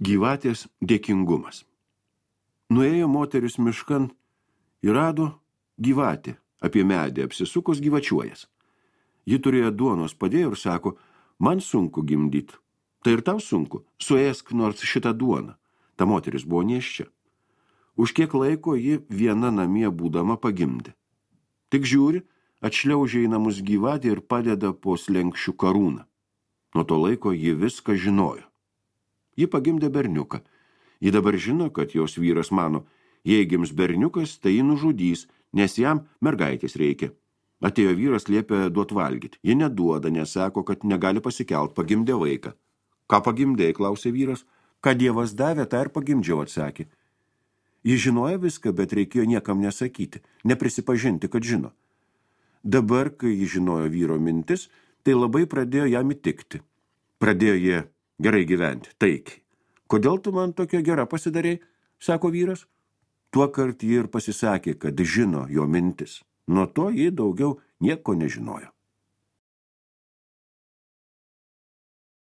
Gyvatės dėkingumas. Nuėjo moteris miškan ir rado gyvatė, apie medį apsisukus gyvačiuojas. Ji turėjo duonos padėjo ir sako, man sunku gimdyti. Tai ir tau sunku, suėsk nors šitą duoną. Ta moteris buvo nėščia. Už kiek laiko ji viena namie būdama pagimdė. Tik žiūri, atšliaužia į namus gyvatė ir padeda po slenkščių karūną. Nuo to laiko ji viską žinojo. Ji pagimdė berniuką. Ji dabar žino, kad jos vyras mano, jei gims berniukas, tai jį nužudys, nes jam mergaitės reikia. Atėjo vyras, liepė duot valgyti. Ji neduoda, nes sako, kad negali pasikelt, pagimdė vaiką. Ką pagimdėjai, klausė vyras. Ką Dievas davė, tą ir pagimdžiau, atsakė. Ji žinojo viską, bet reikėjo niekam nesakyti, neprisipažinti, kad žino. Dabar, kai ji žinojo vyro mintis, tai labai pradėjo jam įtikti. Pradėjo jie gerai gyventi, taikiai. Kodėl tu man tokia gera pasidarei, sako vyras. Tuokart ji ir pasisakė, kad žino jo mintis. Nuo to ji daugiau nieko nežinojo.